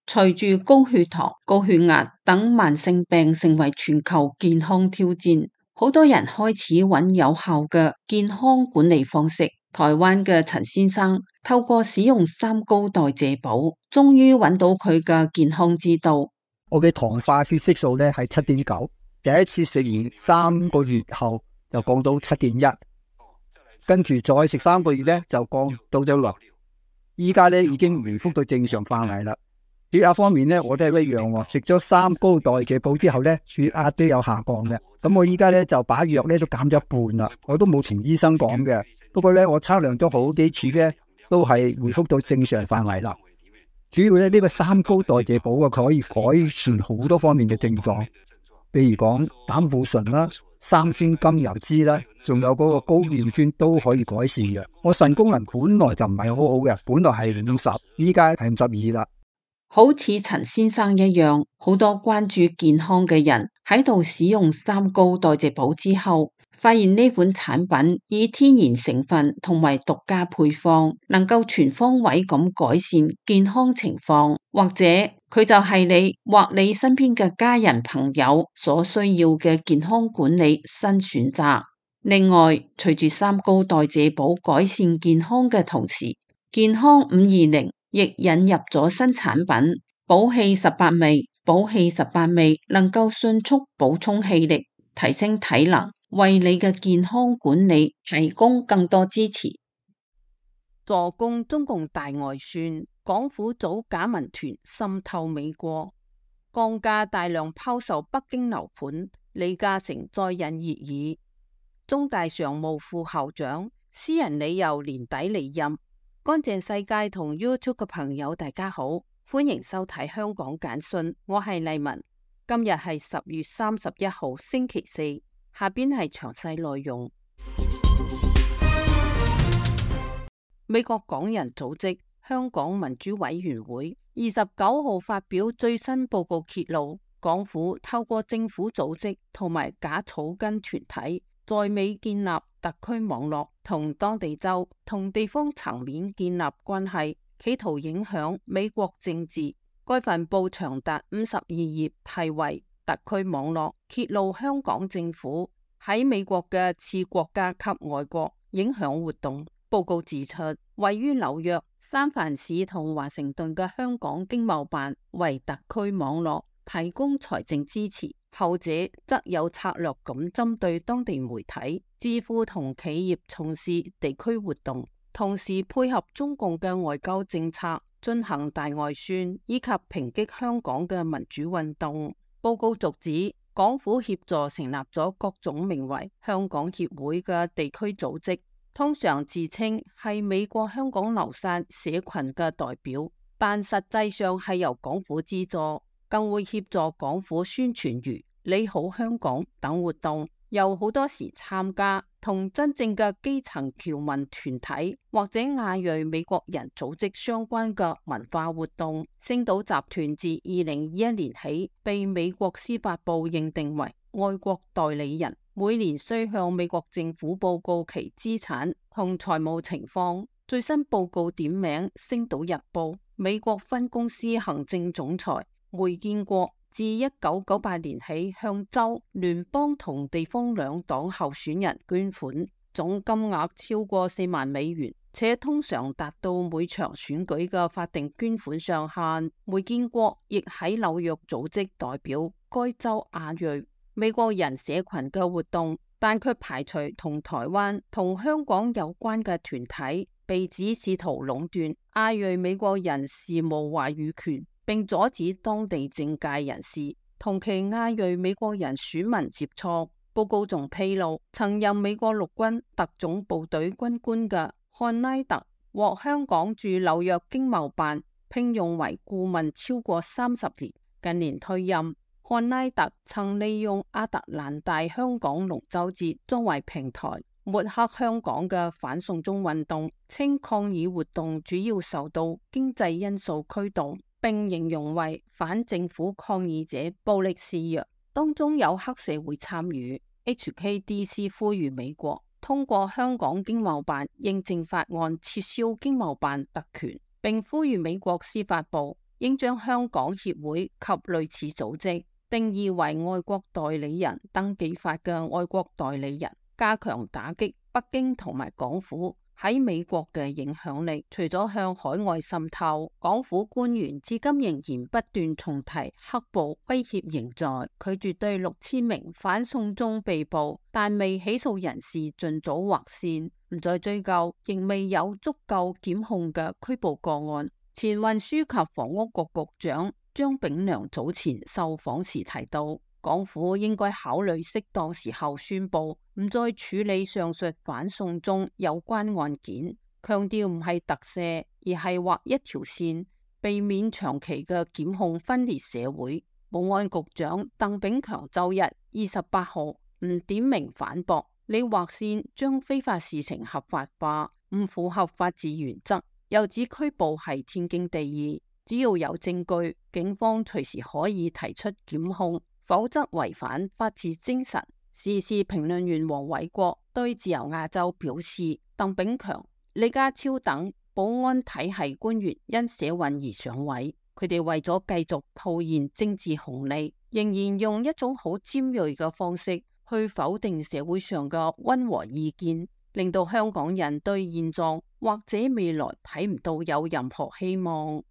隨住高血糖、高血壓等慢性病成為全球健康挑戰，好多人開始揾有效嘅健康管理方式。台灣嘅陳先生透過使用三高代謝寶，終於揾到佢嘅健康之道。我嘅糖化血色素咧係7.9，第一次食完3個月後就降到7.1，跟住再食3個月咧就降到咗6，依家咧已經回復到正常範圍啦。血壓方面咧，我都係一樣喎。食咗三高代謝寶之後咧，血壓都有下降嘅。咁我依家咧就把藥咧都減咗一半啦。我都冇同醫生講嘅。不過咧，我測量咗好幾次咧，都係回復到正常範圍啦。主要咧呢個三高代謝寶啊，佢可以改善好多方面嘅症狀，譬如講膽固醇啦、三酸甘油酯啦，仲有嗰個高尿酸都可以改善嘅。我腎功能本來就唔係好好嘅，本來係50，依家係52啦。好似陳先生一樣，好多關注健康嘅人喺度使用三高代謝寶之後，發現呢款產品以天然成分同埋獨家配方，能夠全方位咁改善健康情況，或者佢就係你或你身邊嘅家人朋友所需要嘅健康管理新選擇。另外，隨住三高代謝寶改善健康嘅同時，健康520亦引入咗新產品寶氣18味。寶氣18味能夠迅速補充氣力，提升體能，為你嘅健康管理提供更多支持。助攻中共大外宣，港府組假民團滲透美國，降價大量拋售北京樓盤，李嘉誠再引熱議。中大常務副校長私人理由年底離任。乾淨世界同 YouTube 嘅朋友大家好，歡迎收睇香港簡訊，我係麗文。今日係10月31號星期四，下邊係詳細內容。美國港人組織香港民主委員會29號發表最新報告，揭露港府透過政府組織同埋假草根團體在美建立特區網絡，同當地州同地方層面建立關係，企圖影響美國政治。該份報長達52頁，題為《特區網絡揭露香港政府喺美國嘅次國家級外國影響活動》。報告指出，位於紐約、三藩市同華盛頓嘅香港經貿辦為特區網絡提供財政支持，後者則有策略咁針對當地媒體、智庫同企業從事地區活動，同時配合中共嘅外交政策進行大外宣，以及抨擊香港嘅民主運動。報告續指，港府協助成立咗各種名為香港協會嘅地區組織，通常自稱係美國香港流散社群嘅代表，但實際上係由港府資助，更會協助港府宣傳如你好香港等活動，又好多時參加同真正嘅基層僑民團體或者亞裔美國人組織相關嘅文化活動。星島集團自2021年起被美國司法部認定為外國代理人，每年需向美國政府報告其資產同財務情況。最新報告點名星島日報美國分公司行政總裁梅建國，自1998年起向州、聯邦同地方兩黨候選人捐款，總金額超過4萬美元，且通常達到每場選舉嘅法定捐款上限。梅建國亦喺紐約組織代表該州亞裔美國人社群嘅活動，但卻排除同台灣同香港有關嘅團體，被指試圖壟斷亞裔美國人事務話語權，並阻止當地政界人士同其亞裔美國人選民接觸。報告仲披露，曾任美國陸軍特種部隊軍官嘅漢拉特獲香港駐紐約經貿辦聘用為顧問超過30年，近年退任。漢拉特曾利用亞特蘭大香港龍舟節作為平台，抹黑香港嘅反送中運動，稱抗議活動主要受到經濟因素驅動，並形容為反政府抗議者暴力示弱。當中有黑社會參與。HKDC 呼籲美國通過香港經貿辦認證法案撤銷經貿辦特權，並呼籲美國司法部應將香港協會及類似組織定義為外國代理人登記法嘅外國代理人，加強打擊北京同埋港府喺美國嘅影響力。除咗向海外滲透，港府官員至今仍然不斷重提黑暴威脅仍在，拒絕對6000名反送中被捕但未起訴人士盡早劃線，唔再追究仍未有足夠檢控嘅拘捕個案。前運輸及房屋局局長張炳良早前受訪時提到，港府應該考慮適當時候宣布唔再處理上述反送中有關案件，強調唔係特赦，而係劃一條線，避免長期嘅檢控分裂社會。保安局長鄧炳強周日28號唔點名反駁，你劃線將非法事情合法化，唔符合法治原則，又指拘捕係天經地義，只要有證據，警方隨時可以提出檢控，否則違反法治精神。時事評論員黃偉國對自由亞洲表示，鄧炳強、李家超等保安體系官員因社運而上位，佢哋為咗繼續套現政治紅利，仍然用一種好尖銳嘅方式去否定社會上嘅溫和意見，令到香港人對現狀或者未來睇唔到有任何希望。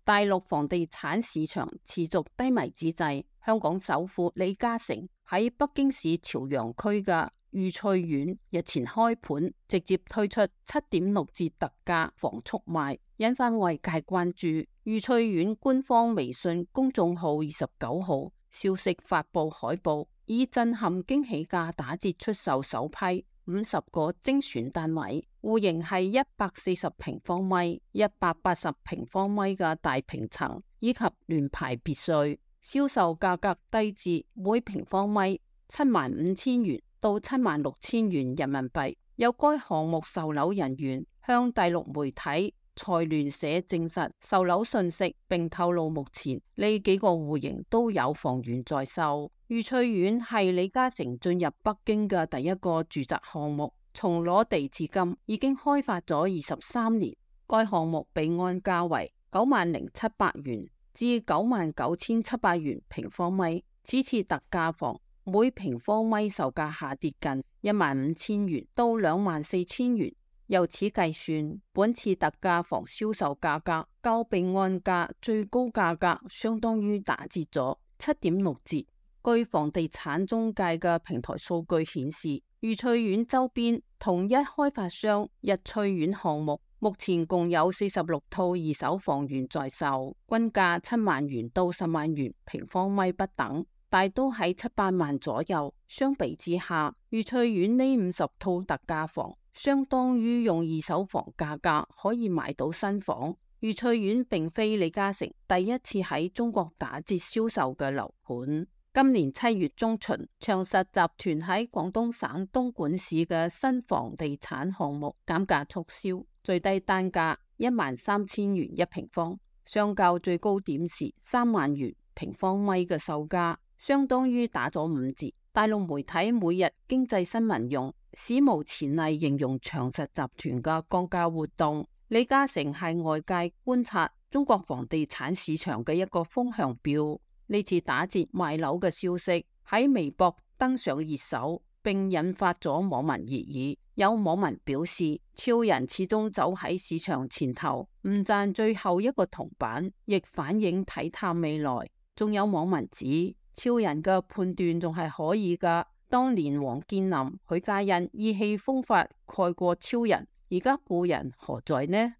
大陸房地產市場持續低迷之際，香港首富李嘉誠喺北京市朝陽區嘅裕翠苑日前開盤，直接推出7.6折特價房速賣，引發外界關注。裕翠苑官方微信公眾號29號消息發佈海報，以震撼驚喜價打折出售首批50個精選單位，戶型係140平方米、180平方米嘅大平層以及聯排別墅，銷售價格低至每平方米75,000元到76,000元人民幣。有該項目售樓人員向大陸媒體財聯社證實售樓信息，並透露目前呢幾個戶型都有房源在售。裕翠苑係李嘉誠進入北京嘅第一個住宅項目，從攞地至今已經開發咗23年。該項目被安價為90,700元至99,700元平方米。此次特價房每平方米售價下跌近15,000元到24,000元。由此計算，本次特價房銷售價格較被安價最高價格相當於打折咗7.6折。據房地產中介嘅平台數據顯示，裕翠苑周邊同一開發商日翠苑項目目前共有46套二手房源在售，均價7萬元到10萬元平方米不等，大都喺7-8萬左右。相比之下，裕翠苑呢50套特價房相當於用二手房價格可以買到新房。裕翠苑並非李嘉誠第一次喺中國打折銷售嘅樓盤。今年7月中旬，長實集團喺廣東省東莞市嘅新房地產項目減價促銷，最低單價13,000元一平方，相較最高點時3萬元平方米嘅售價，相當於打咗5折。大陸媒體每日經濟新聞用史無前例形容長實集團嘅降價活動。李嘉誠係外界觀察中國房地產市場嘅一個風向標。呢次打折賣樓嘅消息喺微博登上熱搜，並引發咗網民熱議。有網民表示，超人始終走喺市場前頭，唔賺最後一個銅板，亦反映睇淡未來。仲有網民指，超人嘅判斷仲係可以㗎。當年王健林、許家印意氣風發蓋過超人，而家故人何在呢？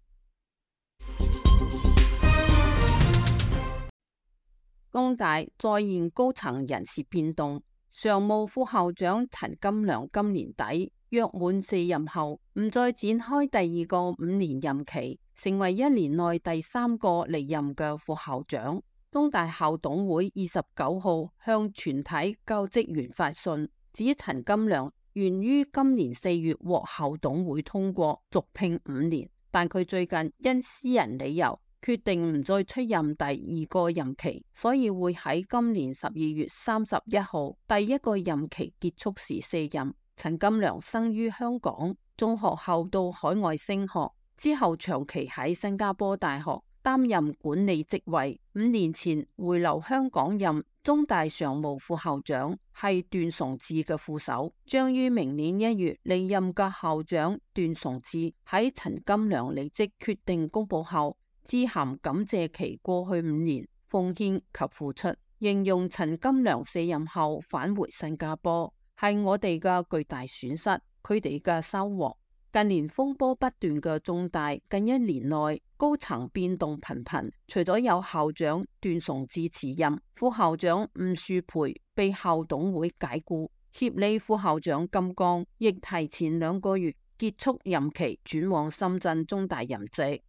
工大再現高層人事變動，常務副校長陳金良今年底約滿4任後，唔再展開第2個5年任期，成為1年內第3個離任嘅副校長。工大校董會29號向全體教職員發信，指陳金良原於今年4月獲校董會通過續聘5年，但佢最近因私人理由決定唔再出任第二個任期，所以會喺今年12月31號第一個任期結束時卸任。陳金良生於香港，中學後到海外升學，之後長期喺新加坡大學擔任管理職位。5年前回流香港任中大常務副校長，係段崇智嘅副手。將於明年1月離任嘅校長段崇智喺陳金良離職決定公布後，致函感謝其過去5年奉獻及付出，形容陳金良卸任後返回新加坡係我哋嘅巨大損失，佢哋嘅收穫。近年風波不斷嘅中大，近1年內高層變動頻頻，除咗有校長段崇智辭任，副校長吳樹培被校董會解雇，協理副校長金剛亦提前2個月結束任期，轉往深圳中大任職。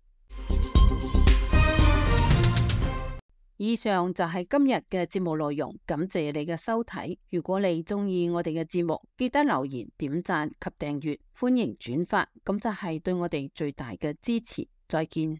以上就係今日嘅節目內容，感謝你嘅收睇。如果你鍾意我哋嘅節目，記得留言、點讚及訂閱，歡迎轉發，咁就係對我哋最大嘅支持。再見。